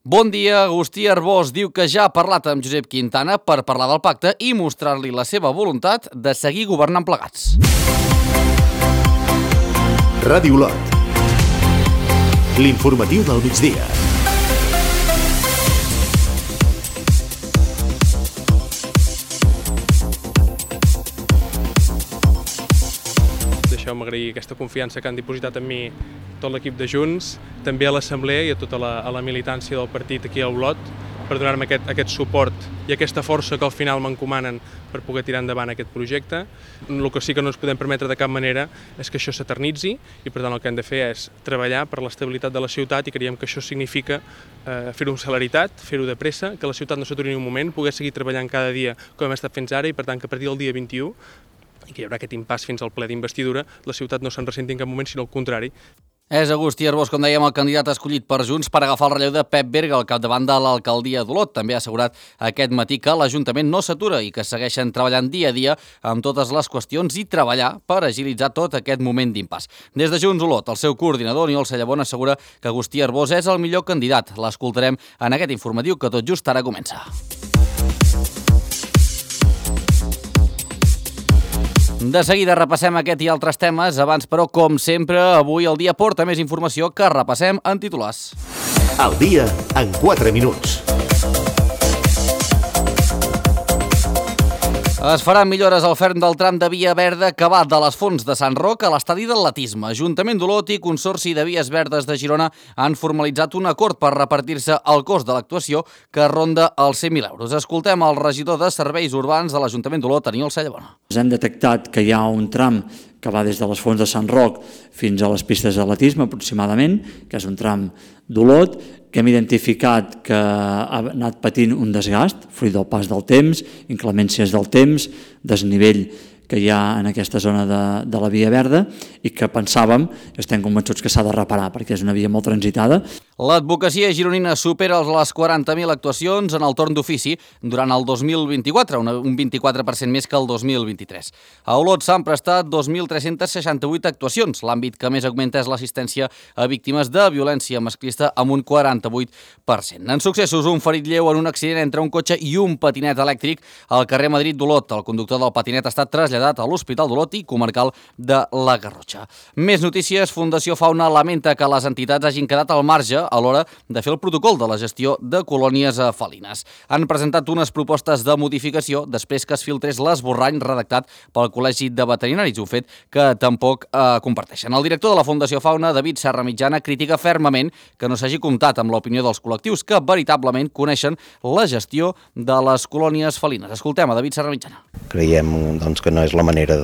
Bon dia, Agustí Arbós diu que ja ha parlat amb Josep Quintana per parlar del pacte i mostrar-li la seva voluntat de seguir governant plegats. Ràdio Olot. L'informatiu del migdia. Deixeu-me agrair aquesta confiança que han dipositat en mi tot l'equip de Junts, també a l'Assemblea i a tota la militància del partit aquí a Olot, per donar-me aquest suport i aquesta força que al final m'encomanen per poder tirar endavant aquest projecte. El que sí que no ens podem permetre de cap manera és que això s'eternitzi i per tant el que hem de fer és treballar per l'estabilitat de la ciutat i creiem que això significa fer-ho amb celeritat, fer-ho de pressa, que la ciutat no s'aturi ni un moment, poder seguir treballant cada dia com hem estat fins ara i per tant que a partir del dia 21 i que hi haurà aquest impàs fins al ple d'investidura, la ciutat no se'n ressenti en cap moment, sinó al contrari. És Agustí Arbós, com dèiem, el candidat escollit per Junts per agafar el relleu de Pep Berga al capdavant de l'alcaldia d'Olot. També ha assegurat aquest matí que l'Ajuntament no s'atura i que segueixen treballant dia a dia amb totes les qüestions i treballar per agilitzar tot aquest moment d'impàs. Des de Junts Olot, el seu coordinador, Aniol Sallabon, assegura que Agustí Arbós és el millor candidat. L'escoltarem en aquest informatiu que tot just ara comença. De seguida repassem aquest i altres temes, abans però, com sempre, avui el dia porta més informació que repassem en titulars. El dia en 4 minuts. Es faran millores al ferm del tram de Via Verda que va de les Fonts de Sant Roc a l'estadi d'atletisme. Ajuntament d'Olot i Consorci de Vies Verdes de Girona han formalitzat un acord per repartir-se el cost de l'actuació que ronda els 100.000 euros. Escoltem el regidor de Serveis Urbans de l'Ajuntament d'Olot, Aniol Sallabon. Hem detectat que hi ha un tram que va des de les Fonts de Sant Roc fins a les pistes d'atletisme aproximadament, que és un tram d'Olot, que hem identificat que ha anat patint un desgast, fruit del pas del temps, inclemències del temps, desnivell que hi ha en aquesta zona de la Via Verda i que pensàvem, estem convençuts que s'ha de reparar perquè és una via molt transitada. L'advocacia gironina supera les 40.000 actuacions en el torn d'ofici durant el 2024, un 24% més que el 2023. A Olot s'han prestat 2.368 actuacions. L'àmbit que més augmenta és l'assistència a víctimes de violència masclista amb un 48%. En successos, un ferit lleu en un accident entre un cotxe i un patinet elèctric al carrer Madrid d'Olot. El conductor del patinet ha estat traslladat a l'Hospital d'Olot i comarcal de la Garrotxa. Més notícies. Fundació Fauna lamenta que les entitats hagin quedat al marge a l'hora de fer el protocol de la gestió de colònies felines. Han presentat unes propostes de modificació després que es filtrés l'esborrany redactat pel Col·legi de Veterinaris, un fet que tampoc comparteixen. El director de la Fundació Fauna, David Serra Mitjana, critica fermament que no s'hagi comptat amb l'opinió dels col·lectius que veritablement coneixen la gestió de les colònies felines. Escoltem a David Serra Mitjana. Creiem que no és la manera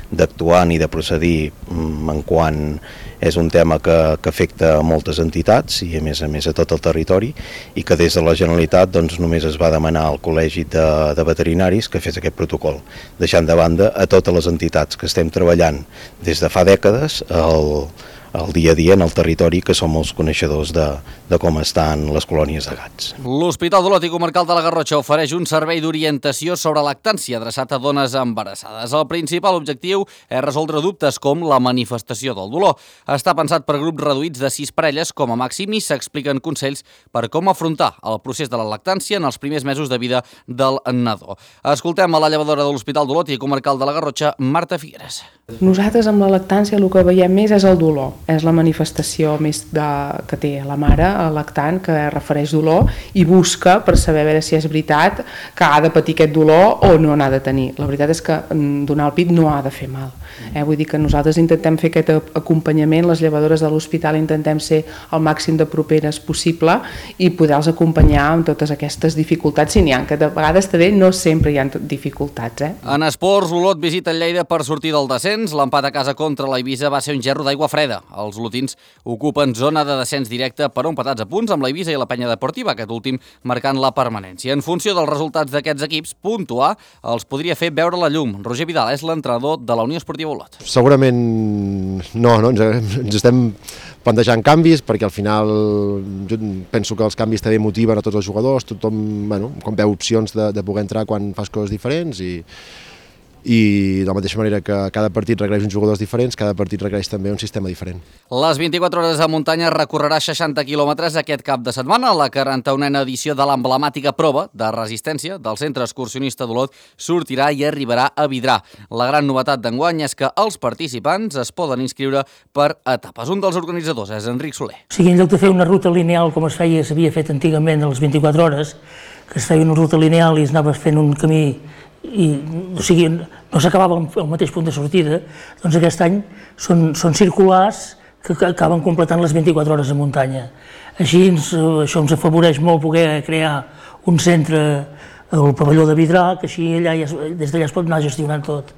d'actuar ni de procedir en quan és un tema que afecta a moltes entitats i a més a tot el territori i que des de la Generalitat només es va demanar al Col·legi de Veterinaris que fes aquest protocol, deixant de banda a totes les entitats que estem treballant des de fa dècades el dia a dia en el territori, que som els coneixedors de com estan les colònies de gats. L'Hospital d'Olot i Comarcal de la Garrotxa ofereix un servei d'orientació sobre lactància adreçat a dones embarassades. El principal objectiu és resoldre dubtes com la manifestació del dolor. Està pensat per grups reduïts de 6 parelles com a màxim i s'expliquen consells per com afrontar el procés de la lactància en els primers mesos de vida del nadó. Escoltem a la llevadora de l'Hospital d'Olot i Comarcal de la Garrotxa, Marta Figueres. Nosaltres amb la lactància el que veiem més és el dolor, és la manifestació més que té la mare, el lactant, que refereix dolor i busca per saber a veure si és veritat que ha de patir aquest dolor o no n'ha de tenir. La veritat és que donar el pit no ha de fer mal. Vull dir que nosaltres intentem fer aquest acompanyament, les llevadores de l'hospital intentem ser el màxim de properes possible i poder-los acompanyar amb totes aquestes dificultats, si n'hi ha, que de vegades també no sempre hi ha dificultats. En esports, Olot visita el Lleida per sortir del descens. L'empat a casa contra l'Eivissa va ser un gerro d'aigua freda. Els olotins ocupen zona de descens directe però empatats a punts amb l'Eivissa i la Penya Deportiva, aquest últim marcant la permanència. En funció dels resultats d'aquests equips, puntuar els podria fer veure la llum. Roger Vidal és l'entrenador de la Unió Esportiva Olot. Segurament no, ens estem plantejant canvis perquè al final jo penso que els canvis també motiven a tots els jugadors, tothom com veu opcions de poder entrar quan fas coses diferents i de la mateixa manera que cada partit requereix uns jugadors diferents, cada partit requereix també un sistema diferent. Les 24 hores de muntanya recorrerà 60 quilòmetres aquest cap de setmana. La 41a edició de l'emblemàtica prova de resistència del Centre Excursionista d'Olot sortirà i arribarà a Vidrà. La gran novetat d'enguany és que els participants es poden inscriure per etapes. Un dels organitzadors és Enric Soler. O sigui, en lloc de fer una ruta lineal com s'havia fet antigament a les 24 hores, que es feia una ruta lineal i es anava fent un camí i, o sigui, no s'acabava al mateix punt de sortida, doncs aquest any són circulars que acaben completant les 24 hores de muntanya. Així això ens afavoreix molt poder crear un centre al pavelló de Vidrà, que així des d'allà es pot anar gestionant tot.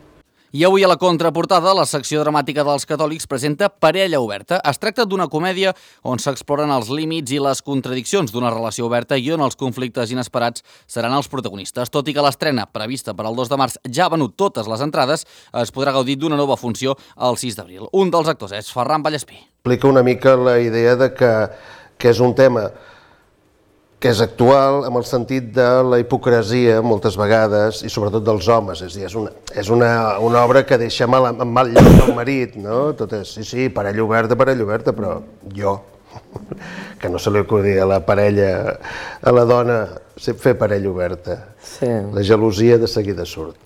I avui a la contraportada, la secció dramàtica dels Catòlics presenta Parella oberta. Es tracta d'una comèdia on s'exploren els límits i les contradiccions d'una relació oberta i on els conflictes inesperats seran els protagonistes. Tot i que l'estrena, prevista per al 2 de març, ja ha venut totes les entrades, es podrà gaudir d'una nova funció el 6 d'abril. Un dels actors és Ferran Vallespí. Explica una mica la idea de que és un tema que és actual en el sentit de la hipocresia moltes vegades i sobretot dels homes, és a dir, és una obra que deixa en mal lloc el marit, no? Tot és, sí, parella oberta, però jo, que no se li acudia a la parella, a la dona, fer parella oberta. Sí. La gelosia de seguida surt.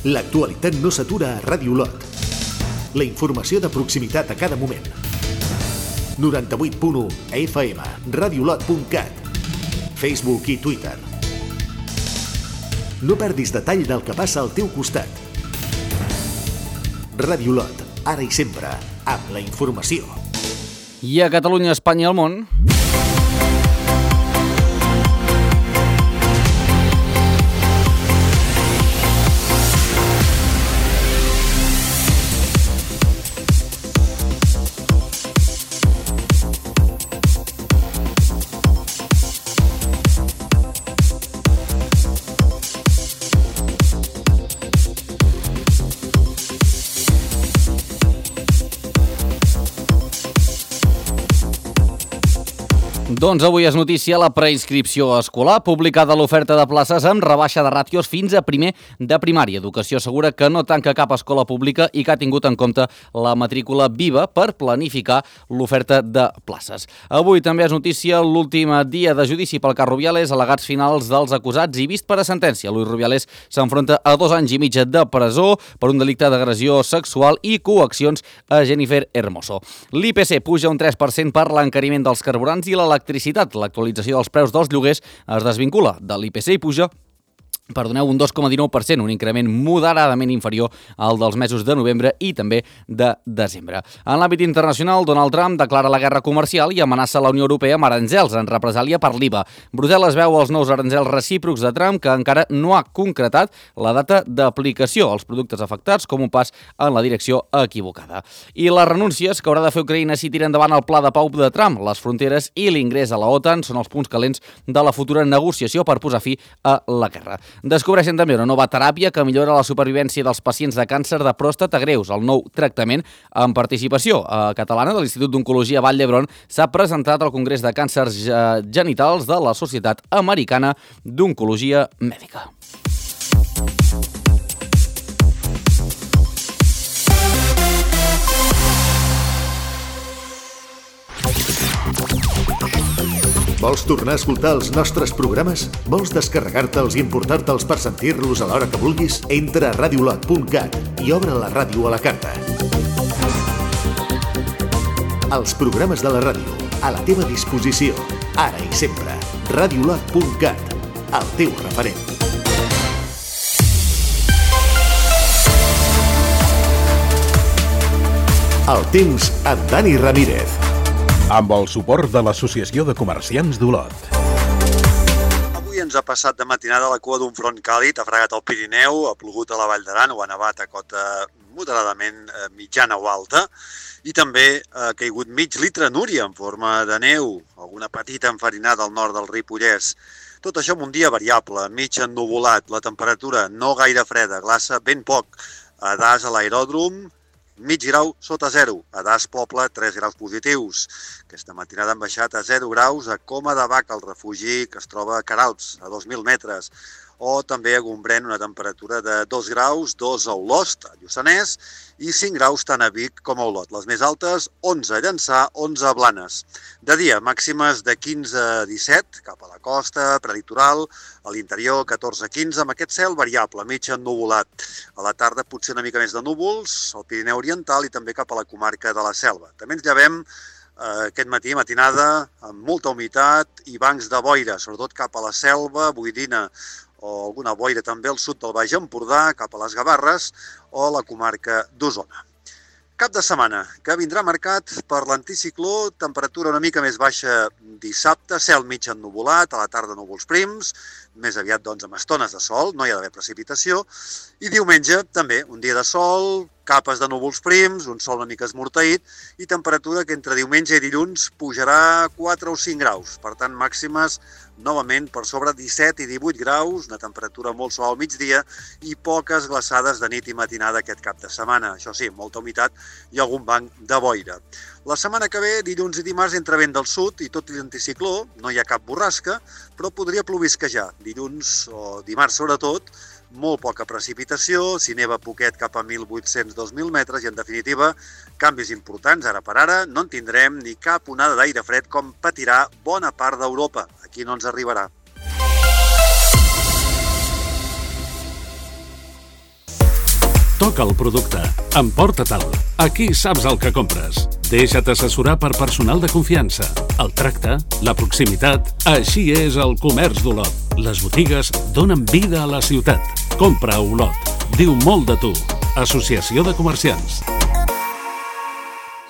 L'actualitat no s'atura a Ràdio Olot. La informació de proximitat a cada moment. 98.1 FM, radiolot.cat, Facebook i Twitter. No perdis detall del que passa al teu costat. Ràdio Olot, ara i sempre, amb la informació. I a Catalunya, Espanya i el món... Doncs avui és notícia la preinscripció escolar, publicada l'oferta de places amb rebaixa de ràtios fins a primer de primària. Educació assegura que no tanca cap escola pública i que ha tingut en compte la matrícula viva per planificar l'oferta de places. Avui també és notícia l'últim dia de judici pel cas Rubiales, al·legats finals dels acusats i vist per a sentència. Luis Rubiales s'enfronta a 2 anys i mig de presó per un delicte d'agressió sexual i coaccions a Jennifer Hermoso. L'IPC puja un 3% per l'encariment dels carburants i l'electricitat. L'actualització dels preus dels lloguers es desvincula de l'IPC i puja un 2,19%, un increment moderadament inferior al dels mesos de novembre i també de desembre. En l'àmbit internacional, Donald Trump declara la guerra comercial i amenaça la Unió Europea amb aranzels en represàlia per l'IVA. Brussel·les veu els nous aranzels recíprocs de Trump, que encara no ha concretat la data d'aplicació als productes afectats, com un pas en la direcció equivocada. I les renúncies que haurà de fer Ucraïna si tira endavant el pla de pau de Trump, les fronteres i l'ingrés a la OTAN són els punts calents de la futura negociació per posar fi a la guerra. Descobreixen també una nova teràpia que millora la supervivència dels pacients de càncer de pròstata greus. El nou tractament, amb participació catalana de l'Institut d'Oncologia Vall d'Hebron, s'ha presentat al Congrés de Càncers Genitals de la Societat Americana d'Oncologia Mèdica. Vols tornar a escoltar els nostres programes? Vols descarregar-te'ls i emportar-te'ls per sentir-los a l'hora que vulguis? Entra a radiolot.cat i obre la ràdio a la carta. Els programes de la ràdio, a la teva disposició, ara i sempre. Radiolot.cat, el teu referent. El temps amb Dani Ramírez. Amb el suport de l'Associació de Comerciants d'Olot. Avui ens ha passat de matinada la cua d'un front càlid, ha fregat el Pirineu, ha plogut a la Vall d'Aran o ha nevat a cota moderadament mitjana o alta i també ha caigut mig litre núria en forma de neu, alguna petita enfarinada al nord del Ripollès. Tot això amb un dia variable, mig ennuvolat, la temperatura no gaire freda, glaça ben poc, a Das a l'aeròdrom, mig grau sota 0. A Das Poble, 3 graus positius. Aquesta matinada han baixat a 0 graus a Coma de Bac, el refugi que es troba a Queralbs, a 2.000 metres. O també a Gombrèn, una temperatura de 2 graus, 2 a Olost, a Lluçanès, i 5 graus tant a Vic com a Olot. Les més altes, 11 a Llançà, 11 a Blanes. De dia, màximes de 15 a 17, cap a la costa, prelitoral, a l'interior 14 a 15, amb aquest cel variable, mig ennuvolat. A la tarda potser una mica més de núvols, al Pirineu Oriental i també cap a la comarca de la Selva. També ens llevem aquest matí, matinada, amb molta humitat i bancs de boira, sobretot cap a la Selva, Boirina, o alguna boira també al sud del Baix Empordà, cap a les Gavarres o la comarca d'Osona. Cap de setmana que vindrà marcat per l'anticicló, temperatura una mica més baixa dissabte, cel mig ennuvolat, a la tarda núvols prims, més aviat doncs amb estones de sol, no hi ha d'haver precipitació, i diumenge també un dia de sol, capes de núvols prims, un sol una mica esmorteït i temperatura que entre diumenge i dilluns pujarà 4 o 5 graus, per tant màximes novament per sobre 17 i 18 graus, una temperatura molt suau al migdia i poques glaçades de nit i matinada aquest cap de setmana. Això sí, molta humitat i algun banc de boira. La setmana que ve, dilluns i dimarts, entra vent del sud i tot l'anticicló, no hi ha cap borrasca, però podria plovisquejar. Dilluns o dimarts sobretot, molt poca precipitació, si neva poquet cap a 1.800-2.000 metres i, en definitiva, canvis importants. Ara per ara no en tindrem ni cap onada d'aire fred com patirà bona part d'Europa. Aquí no ens arribarà. Toca el producte. Emporta-te'l. Aquí saps el que compres. Deixa't assessorar per personal de confiança. El tracte, la proximitat, així és el comerç d'Olot. Les botigues donen vida a la ciutat. Compra a Olot. Diu molt de tu. Associació de Comerciants.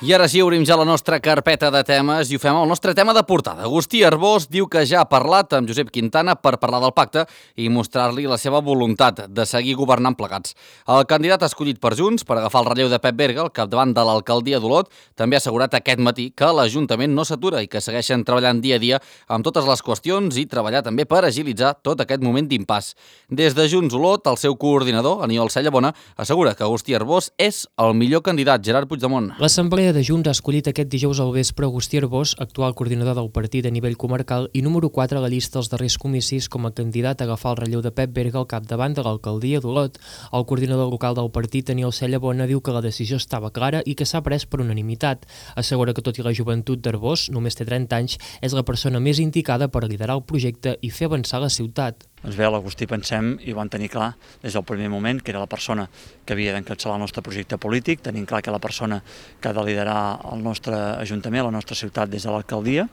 I ara sí, obrim ja la nostra carpeta de temes i ho fem amb el nostre tema de portada. Agustí Arbós diu que ja ha parlat amb Josep Quintana per parlar del pacte i mostrar-li la seva voluntat de seguir governant plegats. El candidat escollit per Junts per agafar el relleu de Pep Berga al capdavant de l'alcaldia d'Olot també ha assegurat aquest matí que l'Ajuntament no s'atura i que segueixen treballant dia a dia amb totes les qüestions i treballar també per agilitzar tot aquest moment d'impàs. Des de Junts Olot, el seu coordinador, Aniol Cellabona, assegura que Agustí Arbós és el millor candidat. Gerard Puigdemont. L'Assemblea de Junts ha escollit aquest dijous al vespre Agustí Arbós, actual coordinador del partit a nivell comarcal i número 4 a la llista dels darrers comicis com a candidat a agafar el relleu de Pep Berga al capdavant de l'alcaldia d'Olot. El coordinador local del partit, Aniol Cellabona, diu que la decisió estava clara i que s'ha pres per unanimitat. Assegura que tot i la joventut d'Arbós, només té 30 anys, és la persona més indicada per liderar el projecte i fer avançar la ciutat. Doncs bé, l'Agustí pensem i ho van tenir clar des del primer moment que era la persona que havia d'encapçalar el nostre projecte polític, tenim clar que la persona que ha de liderar el nostre ajuntament, la nostra ciutat des de l'alcaldia.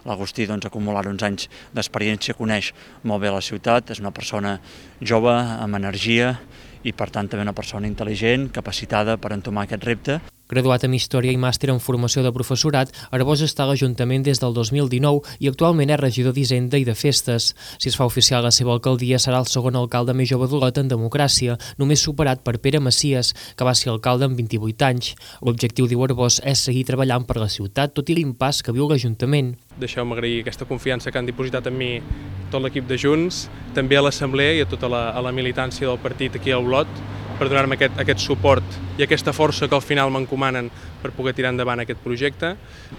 L'Agustí doncs, ha acumulat uns anys d'experiència, coneix molt bé la ciutat, és una persona jove, amb energia i per tant també una persona intel·ligent, capacitada per entomar aquest repte. Graduat en Història i màster en Formació de Professorat, Arbós està a l'Ajuntament des del 2019 i actualment és regidor d'Hisenda i de Festes. Si es fa oficial la seva alcaldia, serà el segon alcalde més jove d'Olot en democràcia, només superat per Pere Macias, que va ser alcalde amb 28 anys. L'objectiu, diu Arbós, és seguir treballant per la ciutat, tot i l'impàs que viu l'Ajuntament. Deixeu-me agrair aquesta confiança que han dipositat en mi tot l'equip de Junts, també a l'Assemblea i a tota la militància del partit aquí a Olot, per donar-me aquest suport i aquesta força que al final m'encomanen per poder tirar endavant aquest projecte.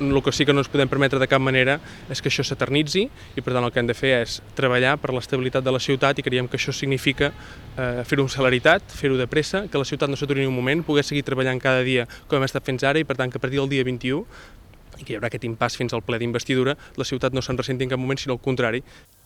El que sí que no ens podem permetre de cap manera és que això s'eternitzi i per tant el que hem de fer és treballar per l'estabilitat de la ciutat i creiem que això significa fer-ho amb celeritat, fer-ho de pressa, que la ciutat no s'aturi ni un moment, poder seguir treballant cada dia com hem estat fins ara i per tant que a partir del dia 21 i que hi haurà aquest impàs fins al ple d'investidura, la ciutat no se'n ressenti en cap moment, sinó al contrari.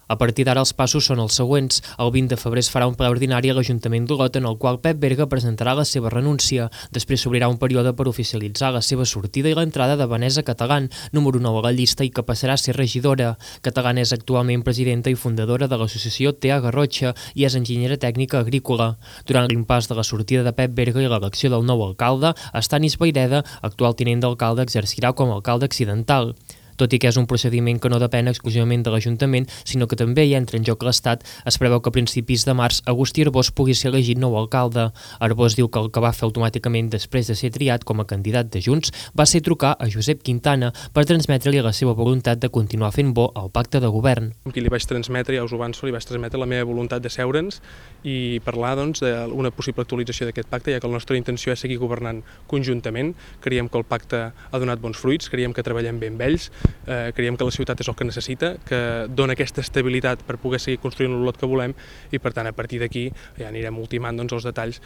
A partir d'ara els passos són els següents. El 20 de febrer es farà un ple ordinari a l'Ajuntament d'Olot en el qual Pep Berga presentarà la seva renúncia. Després s'obrirà un període per oficialitzar la seva sortida i l'entrada de Vanessa Catalán, número 9 a la llista i que passarà a ser regidora. Catalán és actualment presidenta i fundadora de l'associació Tea Garrotxa i és enginyera tècnica agrícola. Durant l'impàs de la sortida de Pep Berga i l'elecció del nou alcalde, Estanis Vaireda, actual tinent d'alcalde, exercirà com a alcalde accidental. Tot i que és un procediment que no depèn exclusivament de l'Ajuntament, sinó que també hi entra en joc l'Estat, es preveu que a principis de març Agustí Arbós pugui ser elegit nou alcalde. Arbós diu que el que va fer automàticament després de ser triat com a candidat de Junts va ser trucar a Josep Quintana per transmetre-li la seva voluntat de continuar fent bo el pacte de govern. Qui li vaig transmetre, ja us ho avanço, li vaig transmetre la meva voluntat de seure'ns i parlar d'una possible actualització d'aquest pacte, ja que la nostra intenció és seguir governant conjuntament. Creiem que el pacte ha donat bons fruits, creiem que treballem bé amb ells, creiem que la ciutat és el que necessita, que dona aquesta estabilitat per poder seguir construint l'Olot que volem i, per tant, a partir d'aquí ja anirem ultimant els detalls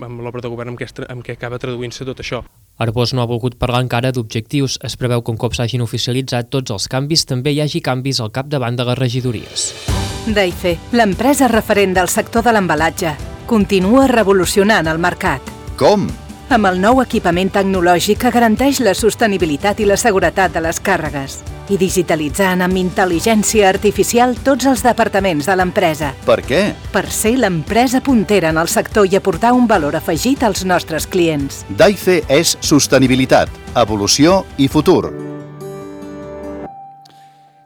amb l'obra de govern amb què acaba traduint-se tot això. Arbós no ha volgut parlar encara d'objectius. Es preveu que un cop s'hagin oficialitzat tots els canvis, també hi hagi canvis al capdavant de les regidories. Daife, l'empresa referent del sector de l'embalatge, continua revolucionant el mercat. Com? Amb el nou equipament tecnològic que garanteix la sostenibilitat i la seguretat de les càrregues i digitalitzant amb intel·ligència artificial tots els departaments de l'empresa. Per què? Per ser l'empresa puntera en el sector i aportar un valor afegit als nostres clients. Daife és sostenibilitat, evolució i futur.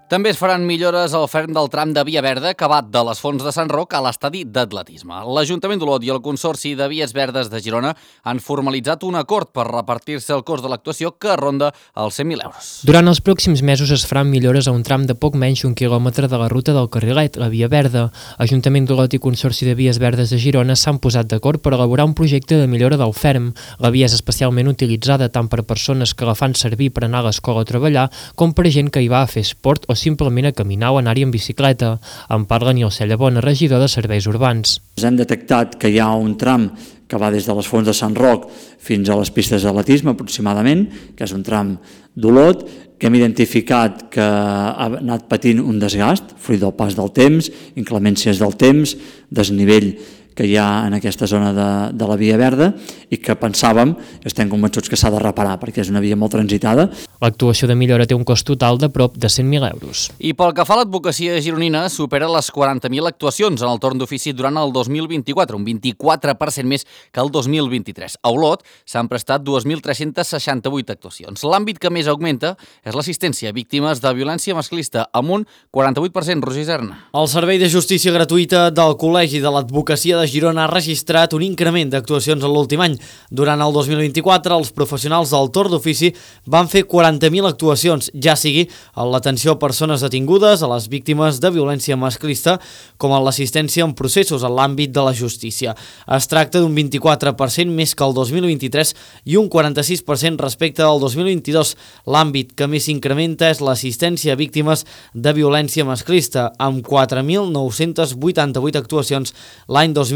També es faran millores al ferm del tram de Via Verda acabat de les Fonts de Sant Roc a l'estadi d'atletisme. L'Ajuntament d'Olot i el Consorci de Vies Verdes de Girona han formalitzat un acord per repartir-se el cost de l'actuació que ronda els 100.000 euros. Durant els pròxims mesos es faran millores a un tram de poc menys d'un quilòmetre de la ruta del Carrilet, la Via Verda. Ajuntament d'Olot i Consorci de Vies Verdes de Girona s'han posat d'acord per elaborar un projecte de millora del ferm. La via és especialment utilitzada tant per persones que la fan servir per anar a l'escola o treballar com per gent que hi va a fer esport o simplement a caminar o anar-hi en bicicleta. En parla Nilce Llavona, regidor de Serveis Urbans. Hem detectat que hi ha un tram que va des de les Fonts de Sant Roc fins a les pistes d'atletisme aproximadament, que és un tram d'Olot, que hem identificat que ha anat patint un desgast, fruit del pas del temps, inclemències del temps, desnivell que hi ha en aquesta zona de la Via Verda i que pensàvem, estem convençuts que s'ha de reparar perquè és una via molt transitada. L'actuació de millora té un cost total de prop de 100.000 euros. I pel que fa a l'advocacia gironina, supera les 40.000 actuacions en el torn d'ofici durant el 2024, un 24% més que el 2023. A Olot s'han prestat 2.368 actuacions. L'àmbit que més augmenta és l'assistència a víctimes de violència masclista, amb un 48%, Roger Serna. El Servei de Justícia Gratuïta del Col·legi de l'Advocacia de Girona ha registrat un increment d'actuacions en l'últim any. Durant el 2024, els professionals del torn d'ofici van fer 40.000 actuacions, ja sigui en l'atenció a persones detingudes, a les víctimes de violència masclista, com en l'assistència en processos en l'àmbit de la justícia. Es tracta d'un 24% més que el 2023 i un 46% respecte al 2022. L'àmbit que més s'incrementa és l'assistència a víctimes de violència masclista, amb 4.988 actuacions l'any 2024.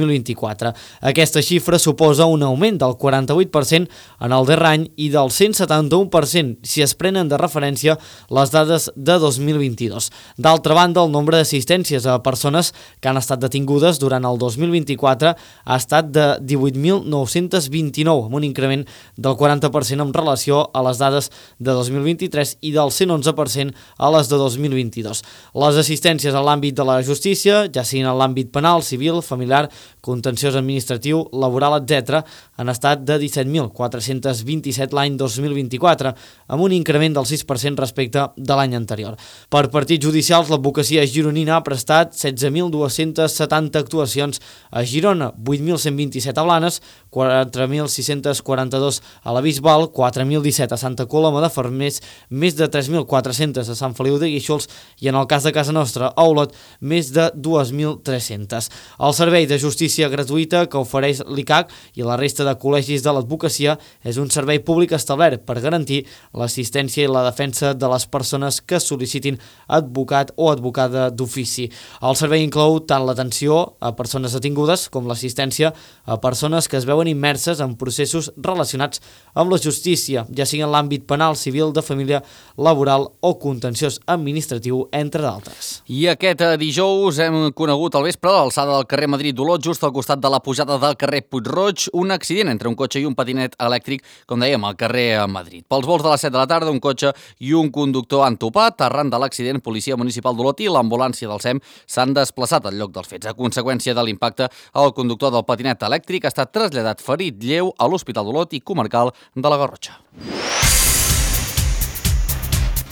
Aquesta xifra suposa un augment del 48% en el darrer any i del 171% si es prenen de referència les dades de 2022. D'altra banda, el nombre d'assistències a persones que han estat detingudes durant el 2024 ha estat de 18.929, amb un increment del 40% en relació a les dades de 2023 i del 111% a les de 2022. Les assistències a l'àmbit de la justícia, ja siguin en l'àmbit penal, civil, familiar, contenciós administratiu, laboral, etc., han estat de 17.427 l'any 2024, amb un increment del 6% respecte de l'any anterior. Per partits judicials, l'advocacia gironina ha prestat 16.270 actuacions a Girona, 8.127 a Blanes, 4.642 a la Bisbal, 4.017 a Santa Coloma de Farners, més de 3.400 a Sant Feliu de Guíxols i, en el cas de casa nostra, a Olot, més de 2.300. El Servei de Justícia Gratuïta que ofereix l'ICAC i la resta de col·legis de l'advocacia és un servei públic establert per garantir l'assistència i la defensa de les persones que sol·licitin advocat o advocada d'ofici. El servei inclou tant l'atenció a persones detingudes com l'assistència a persones que es veuen immerses en processos relacionats amb la justícia, ja sigui en l'àmbit penal, civil, de família, laboral o contenciós administratiu, entre d'altres. I aquest dijous hem conegut al vespre a l'alçada del carrer Madrid d'Olot, just al costat de la pujada del carrer Puig-roig, un accident entre un cotxe i un patinet elèctric, com dèiem, al carrer Madrid. Pels vols de les 7 de la tarda, un cotxe i un conductor han topat. Arran de l'accident, Policia Municipal d'Olot i l'ambulància del SEM s'han desplaçat al lloc dels fets. A conseqüència de l'impacte, el conductor del patinet elèctric ha estat traslladat ferit lleu a l'Hospital d'Olot i Comarcal de la Garrotxa.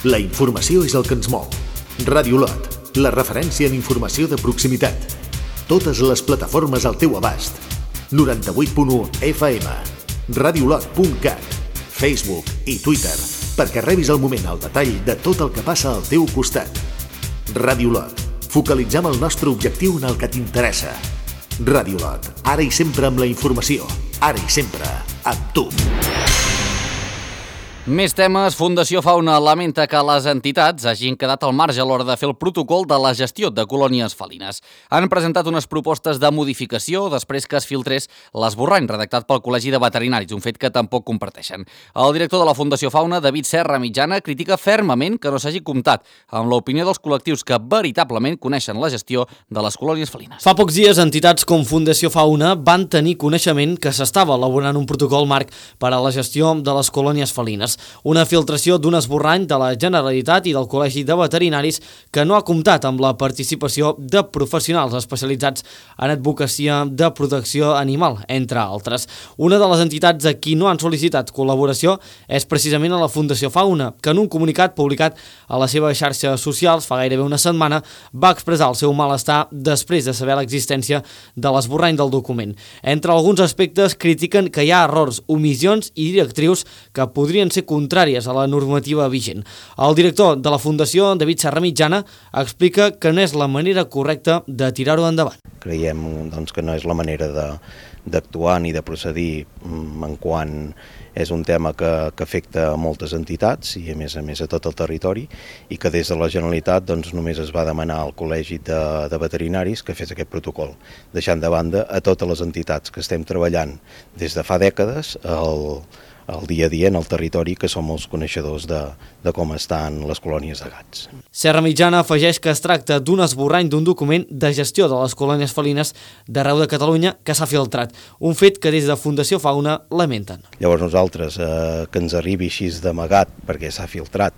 La informació és el que ens mou. Ràdio Lot, la referència en informació de proximitat. Totes les plataformes al teu abast. 98.1 FM, radiolot.cat, Facebook i Twitter, perquè rebis al moment el detall de tot el que passa al teu costat. Ràdio Lot, focalitzem el nostre objectiu en el que t'interessa. Ràdio Lot, ara i sempre amb la informació, ara i sempre amb tu. Més temes. Fundació Fauna lamenta que les entitats hagin quedat al marge a l'hora de fer el protocol de la gestió de colònies felines. Han presentat unes propostes de modificació després que es filtrés l'esborrany redactat pel Col·legi de Veterinaris, un fet que tampoc comparteixen. El director de la Fundació Fauna, David Serra Mitjana, critica fermament que no s'hagi comptat amb l'opinió dels col·lectius que veritablement coneixen la gestió de les colònies felines. Fa pocs dies, entitats com Fundació Fauna van tenir coneixement que s'estava elaborant un protocol marc per a la gestió de les colònies felines. Una filtració d'un esborrany de la Generalitat i del Col·legi de Veterinaris que no ha comptat amb la participació de professionals especialitzats en advocacia de protecció animal, entre altres. Una de les entitats a qui no han sol·licitat col·laboració és precisament a la Fundació Fauna, que en un comunicat publicat a les seves xarxes socials fa gairebé una setmana va expressar el seu malestar després de saber l'existència de l'esborrany del document. Entre alguns aspectes critiquen que hi ha errors, omissions i directrius que podrien ser contràries a la normativa vigent. El director de la Fundació, David Serra Mitjana, explica que no és la manera correcta de tirar-ho endavant. Creiem que no és la manera d'actuar ni de procedir en quan és un tema que afecta a moltes entitats i a més a tot el territori, i que des de la Generalitat només es va demanar al Col·legi de Veterinaris que fes aquest protocol, deixant de banda a totes les entitats que estem treballant des de fa dècades el dia a dia en el territori, que som els coneixedors de com estan les colònies de gats. Serra Mitjana afegeix que es tracta d'un esborrany d'un document de gestió de les colònies felines d'arreu de Catalunya que s'ha filtrat, un fet que des de Fundació Fauna lamenten. Llavors nosaltres, que ens arribi així d'amagat perquè s'ha filtrat,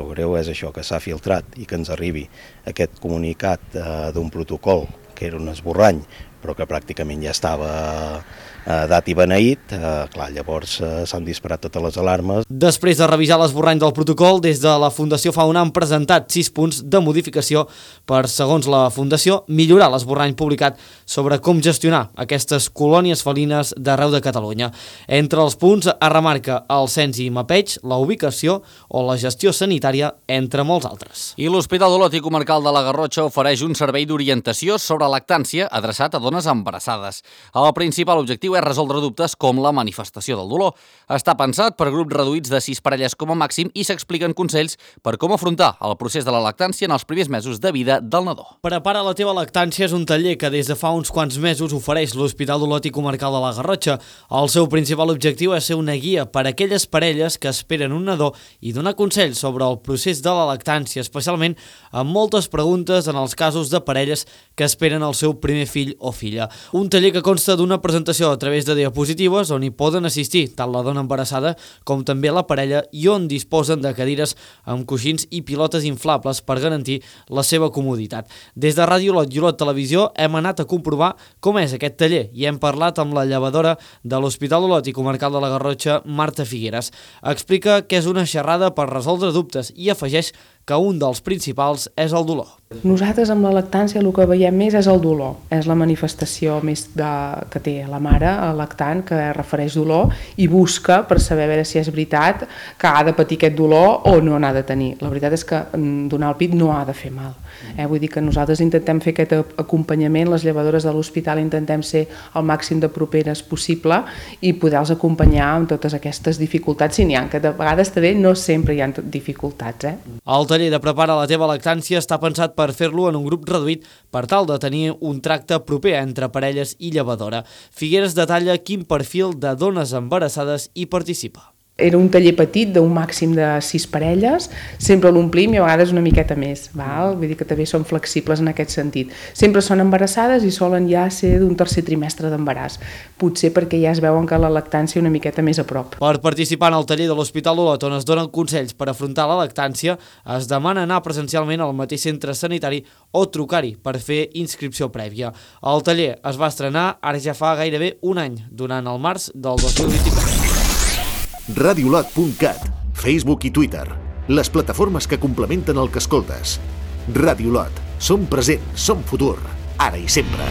el greu és això, que s'ha filtrat i que ens arribi aquest comunicat d'un protocol que era un esborrany, però que pràcticament ja estava dat i beneït, llavors s'han disparat totes les alarmes. Després de revisar l'esborrany del protocol, des de la Fundació Fauna han presentat 6 punts de modificació per, segons la Fundació, millorar l'esborrany publicat sobre com gestionar aquestes colònies felines d'arreu de Catalunya. Entre els punts es remarca el cens i mapeig, la ubicació o la gestió sanitària, entre molts altres. I l'Hospital d'Olot i Comarcal de la Garrotxa ofereix un servei d'orientació sobre lactància adreçat a dones embarassades. El principal objectiu és resoldre dubtes com la manifestació del dolor. Està pensat per grups reduïts de 6 parelles com a màxim i s'expliquen consells per com afrontar el procés de la lactància en els primers mesos de vida del nadó. Prepara la teva lactància és un taller que des de fa uns quants mesos ofereix l'Hospital d'Olot i Comarcal de la Garrotxa. El seu principal objectiu és ser una guia per a aquelles parelles que esperen un nadó i donar consells sobre el procés de la lactància, especialment amb moltes preguntes en els casos de parelles que esperen el seu primer fill o filla. Un taller que consta d'una presentació a través de diapositives on hi poden assistir tant la dona embarassada com també la parella i on disposen de cadires amb coixins i pilotes inflables per garantir la seva comoditat. Des de Ràdio Lot i Olot Televisió hem anat a comprovar com és aquest taller i hem parlat amb la llevadora de l'Hospital d'Olot i Comarcal de la Garrotxa, Marta Figueres. Explica que és una xerrada per resoldre dubtes i afegeix que un dels principals és el dolor. Nosaltres amb la lactància el que veiem més és el dolor, és la manifestació més que té la mare, el lactant, que refereix dolor i busca per saber a veure si és veritat que ha de patir aquest dolor o no n'ha de tenir. La veritat és que donar el pit no ha de fer mal. Vull dir que nosaltres intentem fer aquest acompanyament, les llevadores de l'hospital intentem ser el màxim de properes possible i poder-los acompanyar amb totes aquestes dificultats, si n'hi ha, que de vegades també no sempre hi ha dificultats. El taller de Prepara la teva lactància està pensat per fer-lo en un grup reduït per tal de tenir un tracte proper entre parelles i llevadora. Figueres detalla quin perfil de dones embarassades hi participa. Era un taller petit d'un màxim de 6 parelles, sempre l'omplim i a vegades una miqueta més, val? Vull dir que també som flexibles en aquest sentit. Sempre són embarassades i solen ja ser d'un tercer trimestre d'embaràs, potser perquè ja es veuen que la lactància una miqueta més a prop. Per participar en el taller de l'Hospital d'Olot, on es donen consells per afrontar la lactància, es demana anar presencialment al mateix centre sanitari o trucar-hi per fer inscripció prèvia. El taller es va estrenar ara ja fa gairebé un any, durant el març del 2024. radiolot.cat, Facebook i Twitter. les plataformes que complementen el que escoltes. Ràdio Lot. Som present, som futur, ara i sempre.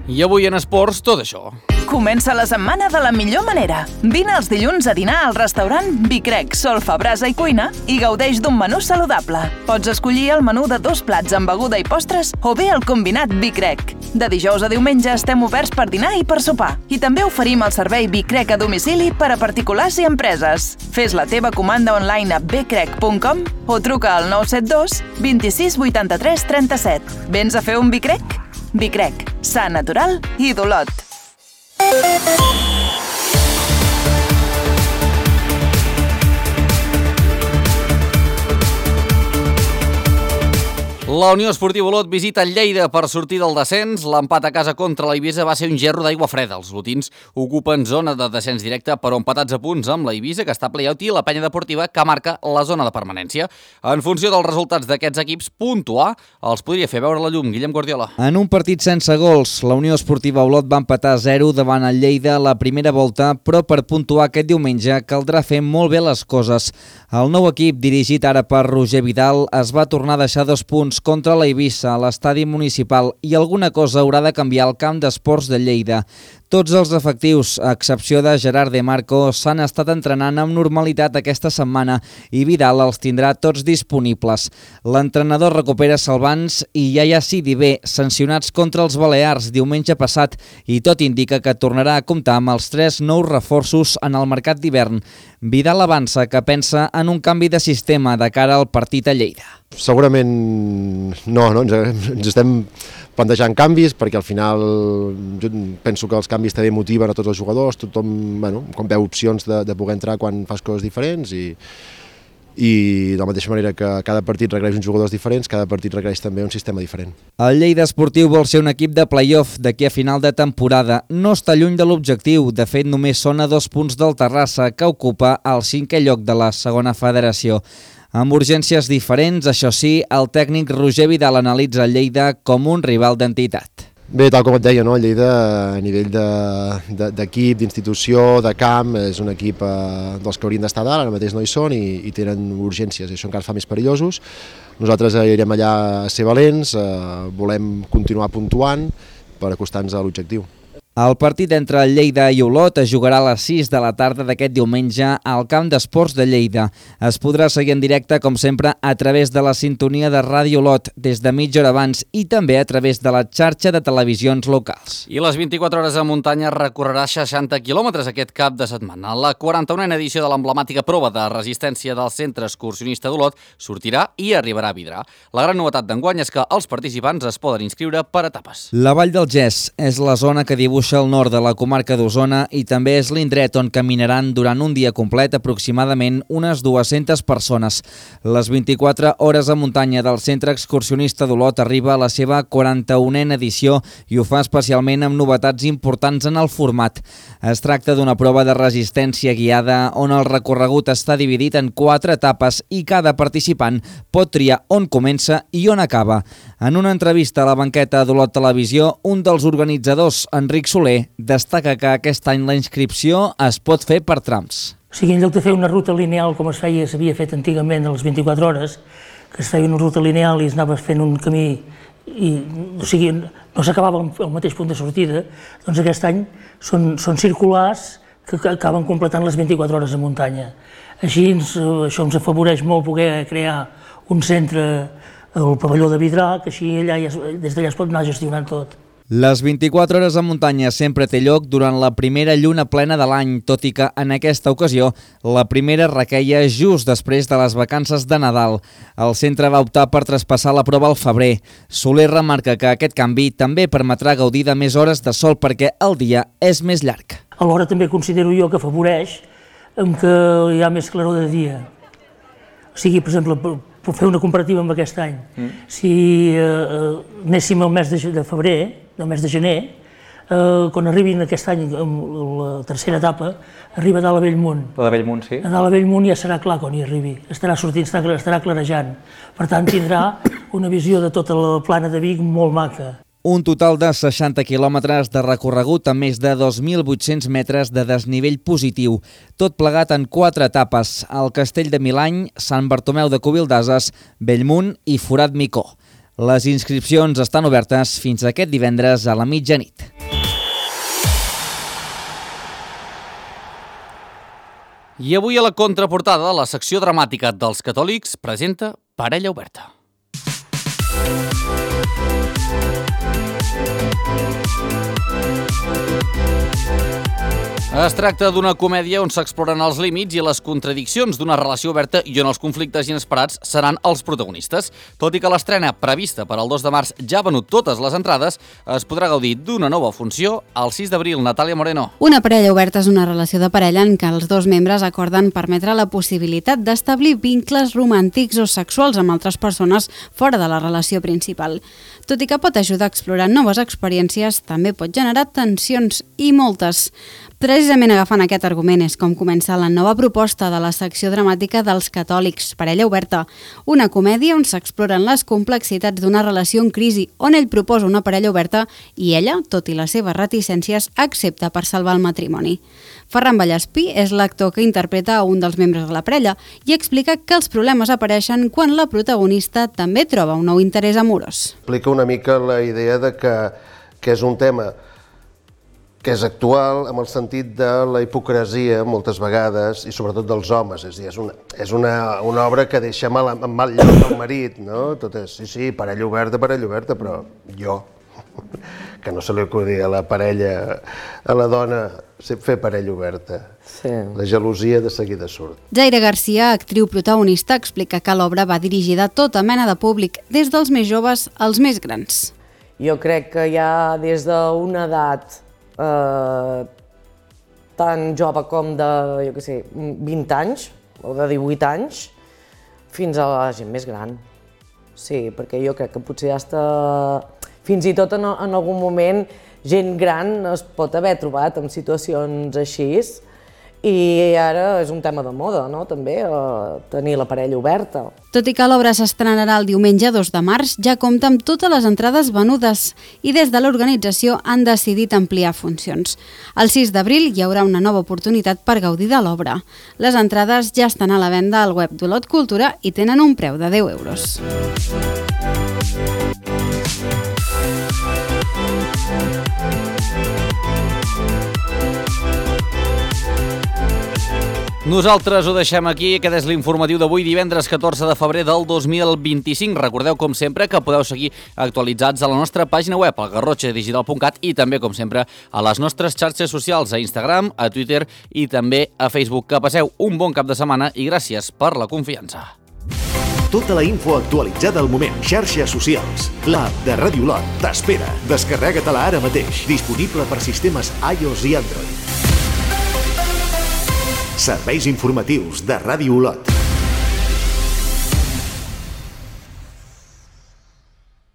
I avui en esports, tot això. Comença la setmana de la millor manera. Vine els dilluns a dinar al restaurant Vicrec, Solfa, Brasa i Cuina i gaudeix d'un menú saludable. Pots escollir el menú de 2 plats amb beguda i postres o bé el combinat Vicrec. De dijous a diumenge estem oberts per dinar i per sopar. I també oferim el servei Vicrec a domicili per a particulars i empreses. Fes la teva comanda online a vicrec.com o truca al 972 26 83 37. Vens a fer un Vicrec? Vicrec, sa natural i d'Olot. La Unió Esportiva Olot visita Lleida per sortir del descens. L'empat a casa contra l'Eivissa va ser un gerro d'aigua freda. Els lotins ocupen zona de descens directe, però empatats a punts amb l'Eivissa, que està a play-out, i la Penya Deportiva, que marca la zona de permanència. En funció dels resultats d'aquests equips, puntuar els podria fer veure la llum. Guillem Guardiola. En un partit sense gols, la Unió Esportiva Olot va empatar a 0 davant el Lleida la primera volta, però per puntuar aquest diumenge caldrà fer molt bé les coses. El nou equip, dirigit ara per Roger Vidal, es va tornar a deixar 2 punts contra la Eivissa a l'estadi municipal i alguna cosa haurà de canviar al camp d'esports de Lleida. Tots els efectius, a excepció de Gerard De Marco, s'han estat entrenant amb normalitat aquesta setmana i Vidal els tindrà tots disponibles. L'entrenador recupera Salvans i Yaya Sidibé, sancionats contra els Balears diumenge passat, i tot indica que tornarà a comptar amb els 3 nous reforços en el mercat d'hivern. Vidal avança que pensa en un canvi de sistema de cara al partit a Lleida. Segurament no, ens estem plantejant canvis perquè al final jo penso que els canvis també motiven a tots els jugadors, tothom quan veu opcions de poder entrar quan fas coses diferents i de la mateixa manera que cada partit requereix uns jugadors diferents, cada partit requereix també un sistema diferent. El Lleida Esportiu vol ser un equip de play-off d'aquí a final de temporada. No està lluny de l'objectiu, de fet només són a 2 punts del Terrassa, que ocupa el 5è lloc de la segona federació. Amb urgències diferents, això sí, el tècnic Roger Vidal analitza el Lleida com un rival d'entitat. Bé, tal com et deia, el Lleida a nivell d'equip, d'institució, de camp, és un equip dels que haurien d'estar dalt, ara mateix no hi són i tenen urgències, i això encara fa més perillosos. Nosaltres irem allà a ser valents, volem continuar puntuant per acostar-nos a l'objectiu. El partit entre Lleida i Olot es jugarà a les 6 de la tarda d'aquest diumenge al camp d'esports de Lleida. Es podrà seguir en directe, com sempre, a través de la sintonia de Ràdio Olot des de mitja hora abans i també a través de la xarxa de televisions locals. I les 24 hores a muntanya recorrerà 60 quilòmetres aquest cap de setmana. La 41a edició de l'emblemàtica prova de resistència del Centre Excursionista d'Olot sortirà i arribarà a Vidrà. La gran novetat d'enguany és que els participants es poden inscriure per etapes. La Vall del Gès és la zona que dibuixa al nord de la comarca d'Osona i també és l'indret on caminaran durant un dia complet aproximadament unes 200 persones. Les 24 hores a muntanya del Centre Excursionista d'Olot arriba a la seva 41a edició i ho fa especialment amb novetats importants en el format. Es tracta d'una prova de resistència guiada on el recorregut està dividit en 4 etapes i cada participant pot triar on comença i on acaba. En una entrevista a la banqueta d'Olot Televisió, un dels organitzadors, Enric Soler, destaca que aquest any la inscripció es pot fer per trams. O sigui, en lloc de fer una ruta lineal com s'havia fet antigament a les 24 hores, que es feia una ruta lineal i es anava fent un camí i no s'acabava al mateix punt de sortida, doncs aquest any són circulars que acaben completant les 24 hores a muntanya. Així això ens afavoreix molt poder crear un centre al pavelló de Vidrà, que així des d'allà es pot anar gestionant tot. Les 24 hores a muntanya sempre té lloc durant la primera lluna plena de l'any, tot i que en aquesta ocasió la primera requeia just després de les vacances de Nadal. El centre va optar per traspassar la prova al febrer. Soler remarca que aquest canvi també permetrà gaudir de més hores de sol perquè el dia és més llarg. Alhora també considero jo que afavoreix que hi ha més claror de dia. O sigui, per exemple, per fer una comparativa amb aquest any, si anéssim al mes de febrer, del mes de gener, quan arribin aquest any, la tercera etapa, arriba a dalt a Bellmunt. La de Bellmunt, sí. A dalt a Bellmunt ja serà clar quan hi arribi, estarà sortint, estarà clarejant. Per tant, tindrà una visió de tota la plana de Vic molt maca. Un total de 60 quilòmetres de recorregut amb més de 2.800 metres de desnivell positiu, tot plegat en 4 etapes, al Castell de Milany, Sant Bartomeu de Covildases, Bellmunt i Forat Micó. Les inscripcions estan obertes fins aquest divendres a la mitjanit. I avui a la contraportada, la secció dramàtica dels catòlics presenta Parella oberta. Es tracta d'una comèdia on s'exploren els límits i les contradiccions d'una relació oberta i on els conflictes inesperats seran els protagonistes. Tot i que l'estrena prevista per al 2 de març ja ha venut totes les entrades, es podrà gaudir d'una nova funció el 6 d'abril. Natàlia Moreno. Una parella oberta és una relació de parella en què els dos membres acorden permetre la possibilitat d'establir vincles romàntics o sexuals amb altres persones fora de la relació principal. Tot i que pot ajudar a explorar noves experiències, també pot generar tensions i moltes. Precisament agafant aquest argument és com comença la nova proposta de la secció dramàtica dels catòlics, Parella oberta, una comèdia on s'exploren les complexitats d'una relació en crisi, on ell proposa una parella oberta i ella, tot i les seves reticències, accepta per salvar el matrimoni. Ferran Vallespí és l'actor que interpreta a un dels membres de la parella i explica que els problemes apareixen quan la protagonista també troba un nou interès amorós. Explica una mica la idea de que és un tema que és actual en el sentit de la hipocresia moltes vegades i sobretot dels homes, és a dir, és una obra que deixa en mal lloc el marit, no? Tot és, sí, parella oberta, però jo, que no se li acudi a la parella, a la dona, fer parella oberta. Sí. La gelosia de seguida surt. Zaira Garcia, actriu protagonista, explica que l'obra va dirigida a tota mena de públic, des dels més joves als més grans. Jo crec que ja des d'una edat tan jove com de, 20 anys o de 18 anys, fins a la gent més gran. Sí, perquè jo crec que potser fins i tot en algun moment gent gran es pot haver trobat en situacions així i ara és un tema de moda, no?, també, tenir la parella oberta. Tot i que l'obra s'estrenarà el diumenge 2 de març, ja compta amb totes les entrades venudes i des de l'organització han decidit ampliar funcions. El 6 d'abril hi haurà una nova oportunitat per gaudir de l'obra. Les entrades ja estan a la venda al web d'Olot Cultura i tenen un preu de 10 euros. Nosaltres ho deixem aquí. Aquest és l'informatiu d'avui, divendres 14 de febrer del 2025. Recordeu, com sempre, que podeu seguir actualitzats a la nostra pàgina web, al garrotxadigital.cat, i també, com sempre, a les nostres xarxes socials, a Instagram, a Twitter i també a Facebook. Que passeu un bon cap de setmana i gràcies per la confiança. Tota la info actualitzada al moment. Xarxes socials. L'app de Ràdio Olot t'espera. Descarrega-te-la ara mateix. Disponible per sistemes iOS i Android. Serveis informatius de Ràdio Olot.